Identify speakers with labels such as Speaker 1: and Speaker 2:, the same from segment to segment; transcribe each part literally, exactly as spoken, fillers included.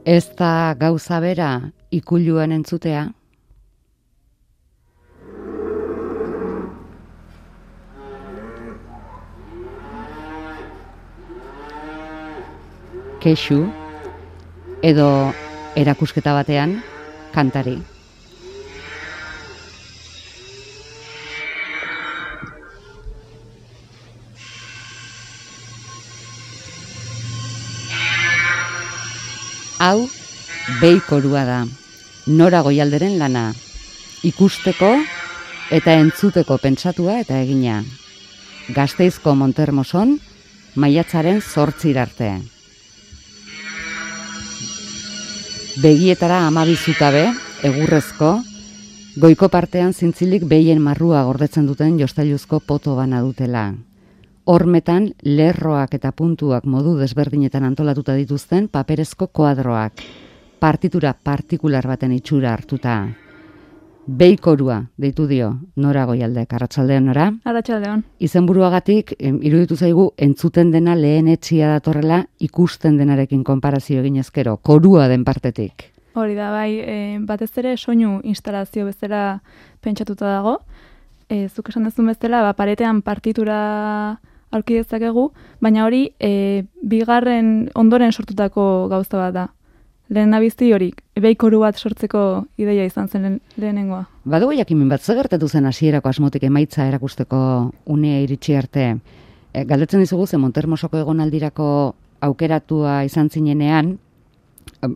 Speaker 1: Ez da gauza bera ikuluan entzutea? Kexu, edo erakusketa batean, kantari. Hau, behi korua da, Nora Goialderen lana, ikusteko eta entzuteko pentsatua eta egina. Gasteizko Montermoson, maiatzaren zortzir arte. Begietara hamabi zutabe, egurrezko, goiko partean zintzilik behien marrua gordetzen duten jostailuzko poto bana dutela. Hormetan, lerroak eta puntuak modu desberdinetan antolatuta dituzten paperezko koadroak, partitura partikular baten itxura hartuta. Beikorua, deitu dio, Nora Goialdek, arratsaldeon Nora?
Speaker 2: Arratsaldeon.
Speaker 1: Izenburuagatik, iruditu zaigu, entzuten dena lehen etxia datorrela ikusten denarekin konparazio egin ezkero, korua den partetik.
Speaker 2: Hori da, bai, e, batez ere soinu instalazio bezala pentsatuta dago. E, zuk esan dezun bezala, ba, paretean partitura aurki dezakegu, baina hori e, bigarren ondoren sortutako gauza bat da. Lehen nabizi hori, beikoru bat sortzeko ideia izan zen lehenengoa.
Speaker 1: Badugu jakimin bat, zer gertatu zen hasierako asmotik emaitza erakusteko unea iritsi arte. E, galdetzen dizugu ze Montermosoko egonaldirako aukeratua izan zinenean,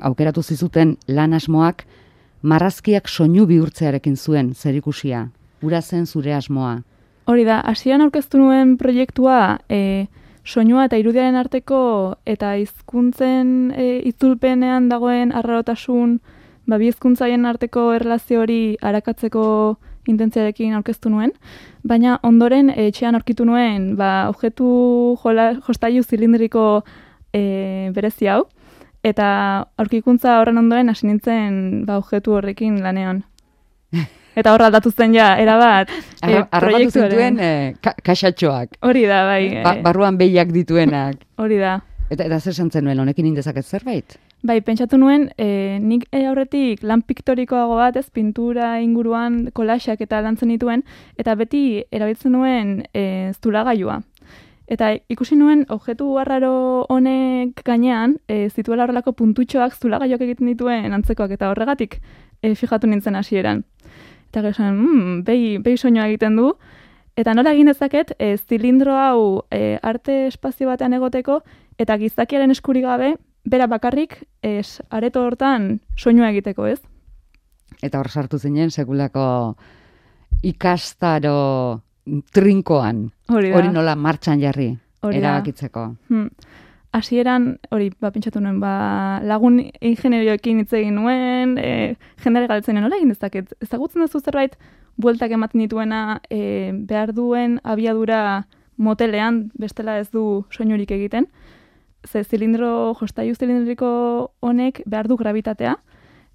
Speaker 1: aukeratu zizuten lan asmoak marrazkiak soinu bihurtzearekin zuen zerikusia. Ura zen zure asmoa.
Speaker 2: Hori da, hasieran aurkeztu nuen proiektua e, soinua eta irudiaren arteko eta hizkuntzen e, itzulpenean dagoen arrarotasun, ba, bi hizkuntzaien arteko erlazio hori arakatzeko intentziarekin aurkeztu nuen, baina ondoren e, etxean aurkitu nuen ba, objektu jola, jostailu zilindriko e, berezi hau, eta aurkikuntza horren ondoren hasi nintzen ba, objektu horrekin lanean. Eta horra aldatu zen ja, erabat, e,
Speaker 1: Arrabatu zituen e, ka kaxatxoak.
Speaker 2: Hori da, bai.
Speaker 1: Ba, barruan behiak dituenak.
Speaker 2: Hori da.
Speaker 1: Eta, eta zer santzen nuen, honekin indezaket zerbait?
Speaker 2: Bai, pentsatu nuen, e, nik e, aurretik lan piktorikoago bat, ez, pintura inguruan kolaxak eta lantzen dituen, eta beti erabiltzen nuen e, zulagailua. Eta ikusi nuen, objektu arraro honek gainean, e, zituela horrelako puntutxoak zulagailoak egiten dituen antzekoak, eta horregatik e, fijatu nintzen hasieran. Eta gero mmm, behi, behi soinua egiten du. Eta nola egin dezaket, e, zilindro hau e, arte espazio batean egoteko, eta gizakiaren eskurik gabe, bera bakarrik, es, areto hortan soinua egiteko, ez?
Speaker 1: Eta hor sartu zinen, sekulako ikastaro trinkoan.
Speaker 2: Hori da.
Speaker 1: Hori nola martxan jarri,
Speaker 2: Hori da.
Speaker 1: erabakitzeko.
Speaker 2: Hmm. Hasieran, hori, ba, pentsatu nuen, ba, lagun ingenierioekin hitz egin nuen, e, jendare galdetzen nola egin dezaket. Ezagutzen duzu zerbait, bueltak ematen dituena, e, behar duen abiadura motelean, bestela ez du soinurik egiten. Ze zilindro, jostailu zilindriko honek behar du gravitatea,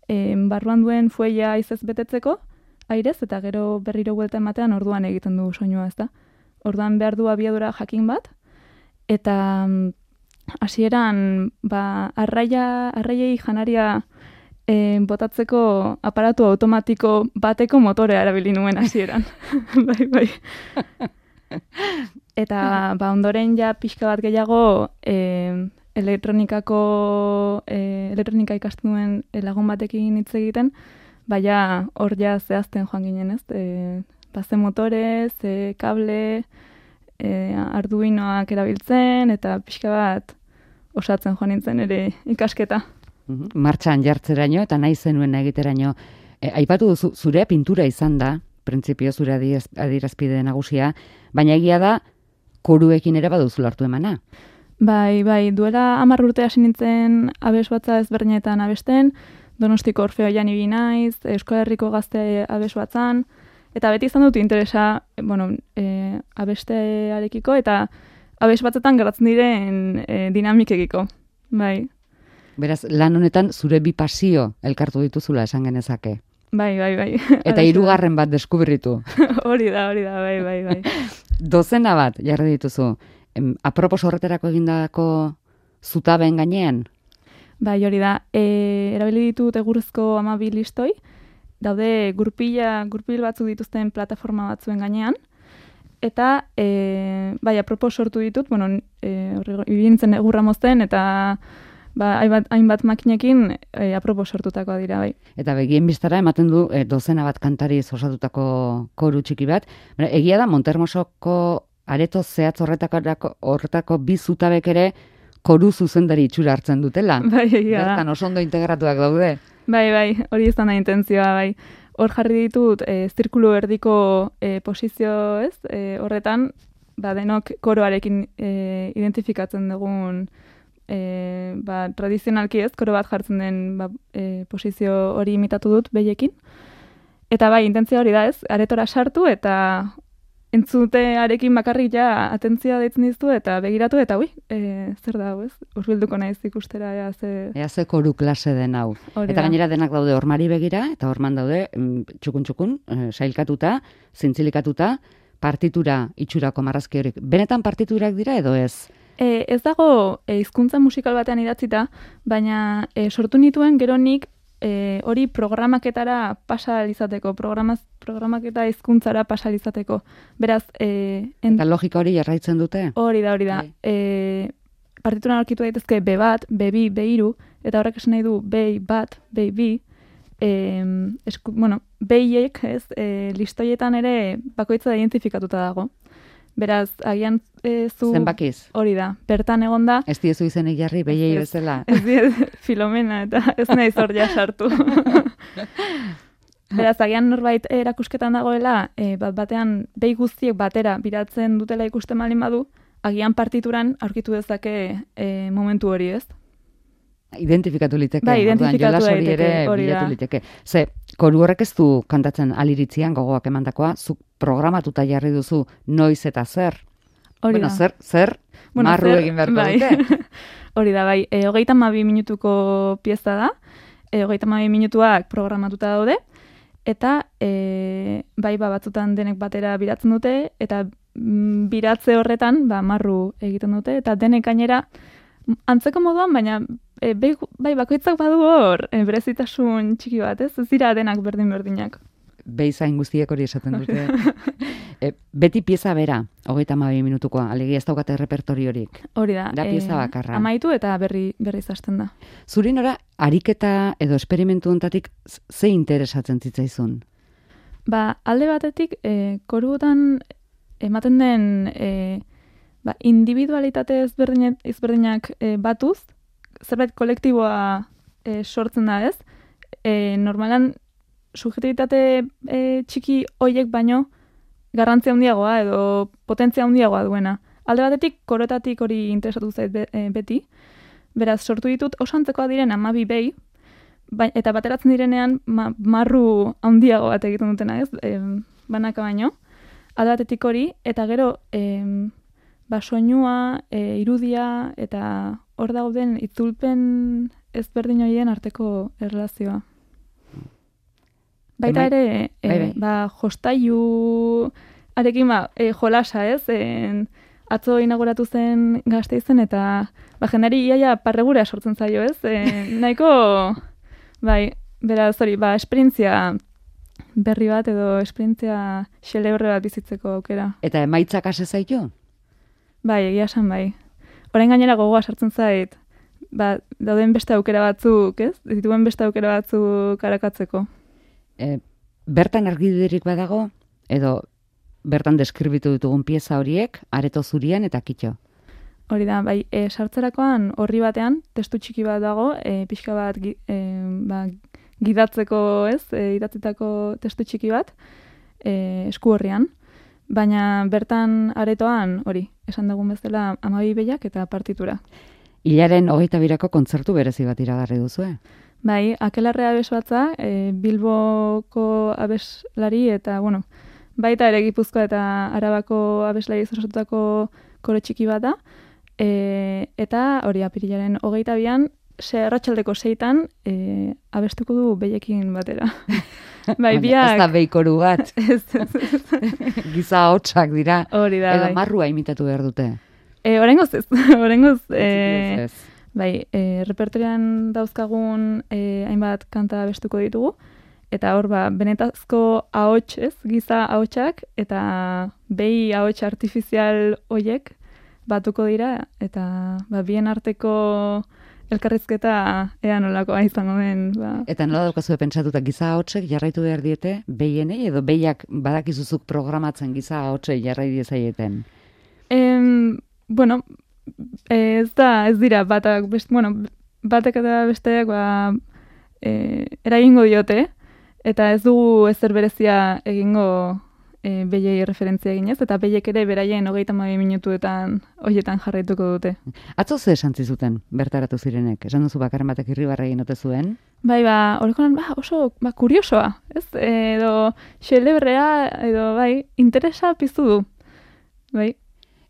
Speaker 2: e, barruan duen fueia izez betetzeko, airez, eta gero berriro buelta ematean orduan egiten du soinua, ez da. Orduan behar du abiadura jakin bat, eta hasieran ba, arraia, arraiei janaria e, botatzeko aparatu automatiko bateko motorea erabili nuen hasieran. bai, bai. Eta ba, ondoren ja pixka bat gehiago e, elektronikako e, elektronika ikastu nuen lagun batekin hitz egiten, baina hor ja zehazten joan ginen, ez? E, ba, ze motore, ze kable, e, arduinoak erabiltzen, eta pixka bat osatzen joan nintzen ere ikasketa.
Speaker 1: Martxan jartzeraino eta nahi zenuen egiteraino. E, aipatu duzu, zure pintura izan da, printzipio zure adierazpide nagusia, baina egia da, koruekin ere baduzu hartu emana.
Speaker 2: Bai, bai, duela hamar urte hasi nintzen abes batza ezberdinetan abesten, Donostiko Orfeoian ibili naiz, Euskal Herriko Gazte abes batzan, eta beti izan dut interesa, bueno, e, abestearekiko, eta abes batzetan geratzen diren e, dinamikekiko. Bai.
Speaker 1: Beraz, lan honetan zure bi pasio elkartu dituzula esan genezake.
Speaker 2: Bai, bai, bai.
Speaker 1: Eta hirugarren bat deskubritu.
Speaker 2: Hori da, hori da, bai, bai, bai.
Speaker 1: Dozena bat, jarri dituzu. Em, apropos horretarako egindako zutaben gainean?
Speaker 2: Bai, hori da. E, erabili ditut egurrezko hamabi listoi, daude gurpila, gurpil batzuk dituzten plataforma batzuen gainean, eta e, bai, apropos sortu ditut, bueno, e, ibintzen egurra mozten, eta ba, hainbat, hainbat makinekin e, apropos sortutakoa dira, bai.
Speaker 1: Eta begien biztara ematen du e, dozena bat kantariz osatutako koru txiki bat. Bara, egia da, Montermosoko areto zehatz horretako, horretako bi zutabek ere koru zuzendari itxura hartzen dutela.
Speaker 2: Bai, egia da.
Speaker 1: Bertan oso ondo integratuak daude.
Speaker 2: Bai, bai, hori izan da intentzioa, bai. Hor jarri ditut, e, zirkulu erdiko e, posizio, ez? E, horretan, ba, denok koroarekin e, identifikatzen dugun e, ba, tradizionalki ez, koro bat jartzen den ba, e, posizio hori imitatu dut behiekin. Eta bai, intentzia hori da ez, aretora sartu eta entzutearekin bakarrik ja atentzia deitzen diztu eta begiratu eta ui, e, zer da hau ez? Urbilduko naiz ikustera ea ze...
Speaker 1: Ea ze koru klase den hau.
Speaker 2: Hori
Speaker 1: eta
Speaker 2: da.
Speaker 1: gainera denak daude hormari begira, eta horman daude txukun-txukun, e, sailkatuta, zintzilikatuta, partitura itxurako marrazki horik. Benetan partiturak dira edo ez?
Speaker 2: E, ez dago e, hizkuntza musikal batean idatzita, baina e, sortu nituen gero nik E, hori programaketara pasa izateko, programaz, programaketa hizkuntzara pasa izateko. Beraz, e,
Speaker 1: en... eta logika hori jarraitzen dute?
Speaker 2: Hori da, hori da. E, partituran aurkitu daitezke be bat, be bi, be hiru, eta horrek esan nahi du be bat, be bi, e, esku, bueno, behiek, ez, e, listoietan ere bakoitza da identifikatuta dago. Beraz, agian e, zu...
Speaker 1: Zenbakiz?
Speaker 2: Hori da, bertan egon da.
Speaker 1: Ez diezu izenik jarri, behiei bezala.
Speaker 2: Ez diez, Filomena, eta ez nahi zordia sartu. Beraz, agian norbait erakusketan dagoela, e, bat batean behi guztiek batera biratzen dutela ikusten malin badu, agian partituran aurkitu dezake e, momentu hori, ez?
Speaker 1: Identifikatu liteke.
Speaker 2: Bai, identifikatu
Speaker 1: hori ere
Speaker 2: hori
Speaker 1: bilatu
Speaker 2: da.
Speaker 1: liteke. Ze, koru horrek ez du kantatzen aliritzian gogoak emandakoa, zuk programatuta jarri duzu noiz eta zer.
Speaker 2: Hori
Speaker 1: bueno,
Speaker 2: da.
Speaker 1: zer, zer,
Speaker 2: bueno,
Speaker 1: marru
Speaker 2: zer,
Speaker 1: egin beharko
Speaker 2: bai.
Speaker 1: dute.
Speaker 2: Hori da, bai. E, hogeita hamabi minutuko pieza da. E, hogeita hamabi minutuak programatuta daude. Eta e, bai, ba, batzutan denek batera biratzen dute, eta mm, biratze horretan, ba, marru egiten dute, eta denek gainera antzeko moduan, baina e, bai, bai, bakoitzak badu hor e, berezitasun txiki bat, ez? Ez dira denak berdin-berdinak.
Speaker 1: Beizain guztiek hori esaten dute. e, beti pieza bera, hogeita hamabi minutukoa, alegia ez daukate repertoriorik.
Speaker 2: Hori da.
Speaker 1: Da pieza bakarra.
Speaker 2: Amaitu eta berri berri hasten da.
Speaker 1: Zuri nora, ariketa edo esperimentu hontatik ze interesatzen zitzaizun?
Speaker 2: Ba, alde batetik, e, korutan ematen den e, ba, individualitate ezberdinak, ezberdinak e, batuz, zerbait kolektiboa e, sortzen da ez. E, normalan, subjektibitate e, txiki hoiek baino garrantzia handiagoa edo potentzia handiagoa duena. Alde batetik, korotatik hori interesatu zait be, e, beti. Beraz, sortu ditut osantzeko diren hamabi behi, ba, eta bateratzen direnean ma, marru handiago bat egiten dutena ez, e, banaka baino. Alde batetik hori, eta gero e, ba, soinua, e, irudia, eta hor dauden itzulpen ezberdin horien arteko erlazioa. Baita ere, e,
Speaker 1: bai, bai.
Speaker 2: ba, jostailu arekin ba, e, jolasa, ez? E, atzo inauguratu zen Gasteizen eta ba, jendari iaia parregura sortzen zaio, ez? E, nahiko, bai, beraz, hori, ba, esperientzia berri bat edo esperientzia xelebre bat bizitzeko aukera.
Speaker 1: Eta emaitzak ase zaitu?
Speaker 2: Bai, egia esan bai. Orain gainera gogoa sartzen zait, ba, dauden beste aukera batzuk, ez? Dituen beste aukera batzuk karakatzeko.
Speaker 1: E, bertan argidirik badago, edo bertan deskribitu ditugun pieza horiek, areto zurian eta kitxo?
Speaker 2: Hori da, bai, e, sartzerakoan horri batean, testu txiki bat dago, e, pixka bat gi, e, ba, gidatzeko, ez, e, idatzitako testu txiki bat, e, esku horrian, baina bertan aretoan, hori, esan dugun bezala hamabi behiak eta partitura.
Speaker 1: Hilaren hogeita birako kontzertu berezi bat iragarri duzue?
Speaker 2: Bai, Akelarre abesbatza, e, Bilboko abeslari eta, bueno, baita ere Gipuzkoa eta Arabako abeslari osatutako koro txiki bat da, e, eta hori apirilaren hogeita bian, arratsaldeko seitan e, abestuko du behiekin batera. Bai, biak...
Speaker 1: Ez da behikoru bat.
Speaker 2: Ez, ez, ez.
Speaker 1: Giza hotsak dira.
Speaker 2: Hori da,
Speaker 1: edo
Speaker 2: bai.
Speaker 1: marrua imitatu behar dute.
Speaker 2: E, Orengoz ez, orengoz... E,
Speaker 1: ez.
Speaker 2: bai, e, repertorian dauzkagun e, hainbat kanta bestuko ditugu, eta hor, ba, benetazko ahots, ez, giza ahotsak, eta behi ahots artifizial hoiek batuko dira, eta ba, bien arteko elkarrizketa ea nolakoa izango den. Ba.
Speaker 1: Eta nola daukazue pentsatuta giza ahotsek jarraitu behar diete behienei, edo behiak badakizuzuk programatzen giza ahotsei jarrai diezaieten?
Speaker 2: Em, bueno, ez da, ez dira, batak, best, bueno, batek eta besteak ba, e, eragingo diote, eta ez dugu ezer berezia egingo e, behiei referentzia eginez, eta behiek ere beraien hogeita hamabi minutuetan hoietan jarraituko dute.
Speaker 1: Atzo ze esan zizuten bertaratu zirenek? Esan duzu bakarren batek irribarra egin ote zuen?
Speaker 2: Bai, ba, horrekonan, ba, oso, ba, kuriosoa, ez? Edo, xelebrea, edo, bai, interesa piztu du. Bai.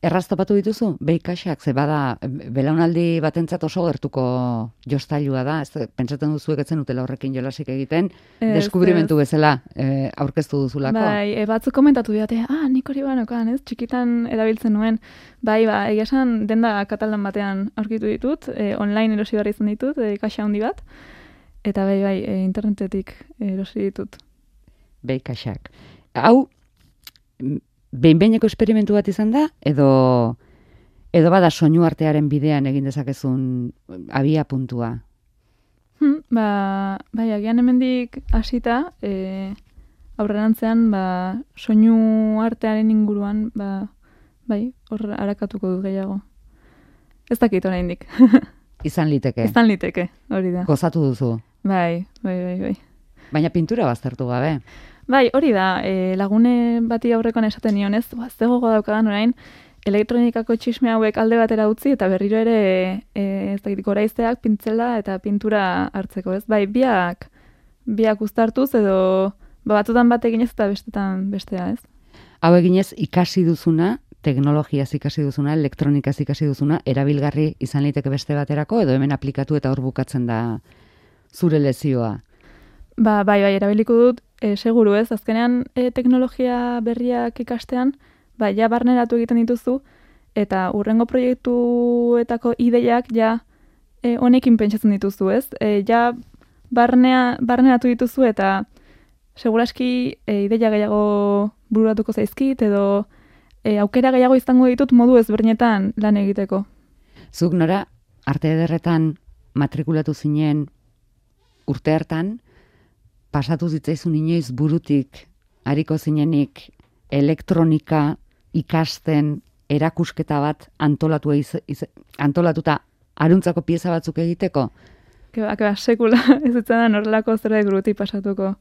Speaker 1: Erraztopatu dituzu, behi kaxak, ze bada, belaunaldi batentzat oso gertuko jostailua da, ez, pentsatzen duzuek etzen utela horrekin jolasik egiten,
Speaker 2: Ez,
Speaker 1: deskubrimentu
Speaker 2: ez.
Speaker 1: bezala e, aurkeztu duzulako.
Speaker 2: Bai, e, batzuk komentatu didate, ah, nik hori banokan, ez, txikitan erabiltzen nuen. Bai, ba, egia esan denda katalan batean aurkitu ditut, e, online erosi behar izan ditut, e, kaxa handi bat, eta bai, bai, e, internetetik erosi ditut.
Speaker 1: Behi kaxak. Hau, behin-behineko esperimentu bat izan da, edo edo bada soinu artearen bidean egin dezakezun abia puntua?
Speaker 2: Hmm, ba, bai, agian hemendik hasita, e, aurrerantzean, ba, soinu artearen inguruan, ba, bai, hor arakatuko dut gehiago. Ez dakit oraindik.
Speaker 1: Izan liteke.
Speaker 2: Izan liteke, hori da.
Speaker 1: Gozatu duzu.
Speaker 2: Bai, bai, bai, bai.
Speaker 1: Baina pintura baztertu gabe.
Speaker 2: Bai, hori da, e, lagune bati aurrekoan esaten nionez, ba, ze gogo daukadan orain, elektronikako txisme hauek alde batera utzi, eta berriro ere, e, ez dakit, goraizteak, pintzela eta pintura hartzeko, ez? Bai, biak, biak uztartuz, edo ba, batutan bat eginez eta bestetan bestea, ez?
Speaker 1: Hau eginez ikasi duzuna, teknologiaz ikasi duzuna, elektronikaz ikasi duzuna, erabilgarri izan liteke beste baterako, edo hemen aplikatu eta hor bukatzen da zure lezioa.
Speaker 2: Ba, bai, bai, erabiliko dut, e, seguru ez, azkenean e, teknologia berriak ikastean, ba, ja barneratu egiten dituzu, eta urrengo proiektuetako ideiak ja e, honekin pentsatzen dituzu, ez? E, ja barnea, barneratu dituzu eta seguraski e, ideia gehiago bururatuko zaizkit, edo e, aukera gehiago izango ditut modu ezberdinetan lan egiteko.
Speaker 1: Zuk nora, arte ederretan matrikulatu zinen urte hartan, pasatu zitzaizun inoiz burutik, hariko zinenik elektronika ikasten erakusketa bat antolatu eiz, iz, antolatuta aruntzako pieza batzuk egiteko?
Speaker 2: Keba, keba, sekula ez zitzaidan horrelako zerbait burutik pasatuko.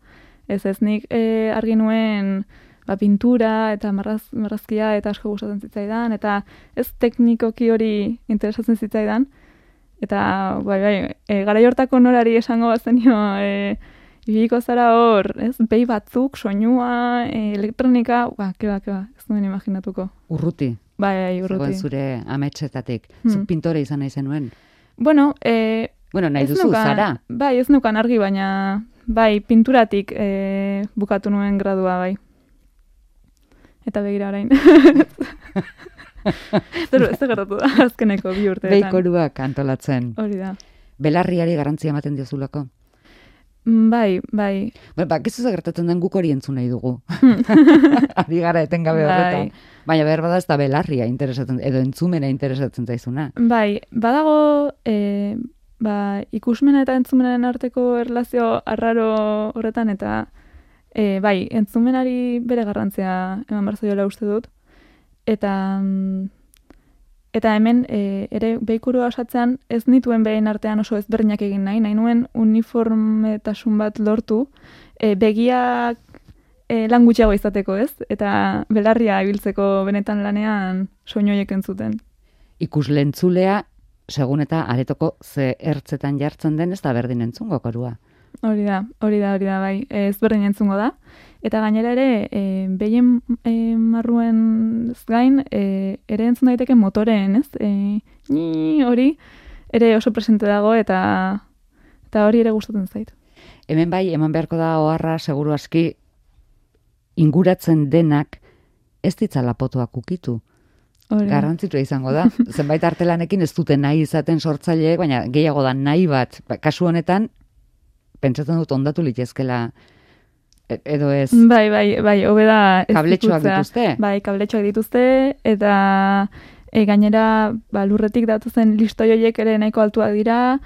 Speaker 2: Ez ez nik e, argi nuen ba, pintura eta marraz, marrazkia eta asko gustatzen zitzaidan, eta ez teknikoki hori interesatzen zitzaidan. Eta, bai, bai, e, garai hortako norari esango bazenio, e, ibiliko zara hor, ez, behi batzuk, soinua, e, elektronika, ba, keba, keba, ez nuen imaginatuko.
Speaker 1: Urruti?
Speaker 2: Bai, bai, urruti.
Speaker 1: Zegoen zure ametsetatik.
Speaker 2: Hmm.
Speaker 1: Zuk pintore izan nahi zenuen?
Speaker 2: Bueno, e,
Speaker 1: bueno, nahi
Speaker 2: ez
Speaker 1: duzu,
Speaker 2: nukan,
Speaker 1: zara?
Speaker 2: Bai, ez nukan argi, baina, bai, pinturatik e, bukatu nuen gradua, bai. Eta begira orain. Zer, zer gertatu da, azkeneko bi urteetan.
Speaker 1: Behikoruak antolatzen.
Speaker 2: Hori da.
Speaker 1: Belarriari garantzia ematen diozulako?
Speaker 2: Bai, bai.
Speaker 1: Ba, ba gizu gertatzen den guk hori entzun nahi dugu. Ari gara etengabe horretan.
Speaker 2: Bai.
Speaker 1: Baina behar bada ez da belarria interesatzen, edo entzumena interesatzen zaizuna.
Speaker 2: Bai, badago e, ba, ikusmena eta entzumenaren arteko erlazio arraro horretan, eta e, bai, entzumenari bere garrantzia eman behar zaiola uste dut. Eta eta hemen e, ere behikurua osatzean ez nituen behin artean oso ezberdinak egin nahi, nahi nuen uniformetasun bat lortu, e, begiak e, lan gutxiago izateko, ez? Eta belarria ibiltzeko benetan lanean soinu horiek entzuten.
Speaker 1: Ikuslentzulea, segun eta aretoko ze ertzetan jartzen den, ez da berdin entzungo korua.
Speaker 2: Hori da, hori da, hori da, bai, ez berdin entzungo da. Eta gainera ere, e, behien e, marruen gain, e, ere entzun daiteke motoreen, ez? E, ni hori ere oso presente dago, eta eta hori ere gustatzen zait.
Speaker 1: Hemen bai, eman beharko da oharra, seguru aski, inguratzen denak ez ditzala potoak ukitu. garrantzitsua izango da. Zenbait artelanekin ez dute nahi izaten sortzaileek, baina gehiago da nahi bat. Kasu honetan, pentsatzen dut ondatu litezkela edo ez.
Speaker 2: Bai, bai, bai, hobe da ez
Speaker 1: kabletxoak dituzte.
Speaker 2: Bai, kabletxoak dituzte, eta e, gainera ba, lurretik datuzen listoi horiek ere nahiko altuak dira,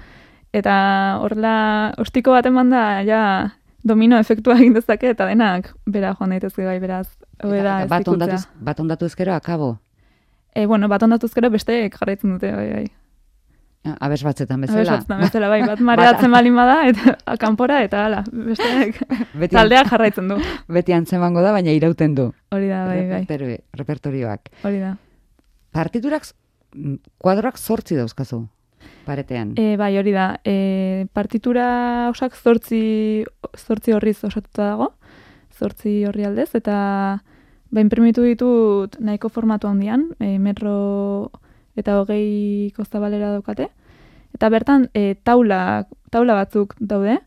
Speaker 2: eta horrela ostiko bat eman da, ja, domino efektua egin dezake, eta denak bera joan daitezke bai, beraz, hobe da ez ikutzea.
Speaker 1: Bat ondatu ezkero, akabo?
Speaker 2: E, bueno, bat ondatu ezkero besteek jarraitzen dute, bai, bai.
Speaker 1: Abes batzetan bezala.
Speaker 2: Abes batzetan bezala, bai, bat mareatzen balin bada, eta kanpora, eta hala, besteek taldeak jarraitzen du.
Speaker 1: Beti antzemango da, baina irauten du.
Speaker 2: Hori da, bai, bai.
Speaker 1: Repertorioak.
Speaker 2: Hori da.
Speaker 1: Partiturak, kuadroak zortzi dauzkazu, paretean.
Speaker 2: E, bai, hori da. E, partitura osak zortzi, zortzi horriz osatuta dago, zortzi horri aldez, eta ba, imprimitu ditut nahiko formatu handian, e, metro eta hogei kostabalera daukate. Eta bertan, e, taula, taula batzuk daude,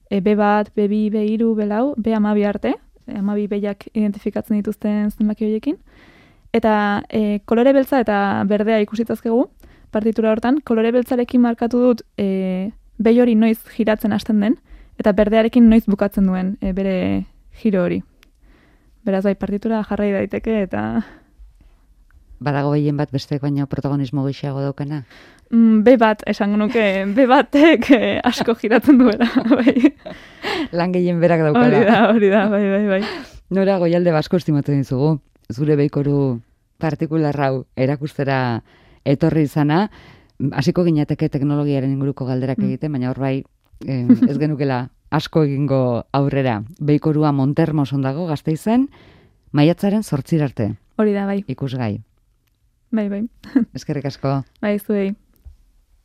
Speaker 2: e, B bat, B bi, B hiru, B lau, B hamabi arte, e, hamabi behiak identifikatzen dituzten zenbaki horiekin. Eta e, kolore beltza eta berdea ikusitazkegu, partitura hortan, kolore beltzarekin markatu dut e, behi hori noiz giratzen hasten den, eta berdearekin noiz bukatzen duen e, bere giro hori. Beraz, bai, partitura jarrai daiteke, eta...
Speaker 1: Badago behien bat besteek baina protagonismo gehiago daukena?
Speaker 2: Mm, be bat, esango nuke, be batek eh, asko giratzen duela. Bai.
Speaker 1: Lan gehien berak daukala.
Speaker 2: Hori da, hori da, bai, bai, bai.
Speaker 1: Nora, Goialde Basko estimatzen dizugu. Zure beikoru partikularrau erakustera etorri izana, hasiko ginateke teknologiaren inguruko galderak egiten, baina hor bai eh, ez genukela asko egingo aurrera. Beikorua Montermoson dago Gasteizen, maiatzaren zortzira arte.
Speaker 2: Hori da, bai.
Speaker 1: Ikusgai.
Speaker 2: Bai, bai.
Speaker 1: Eskerrik asko.
Speaker 2: Bai, zuei.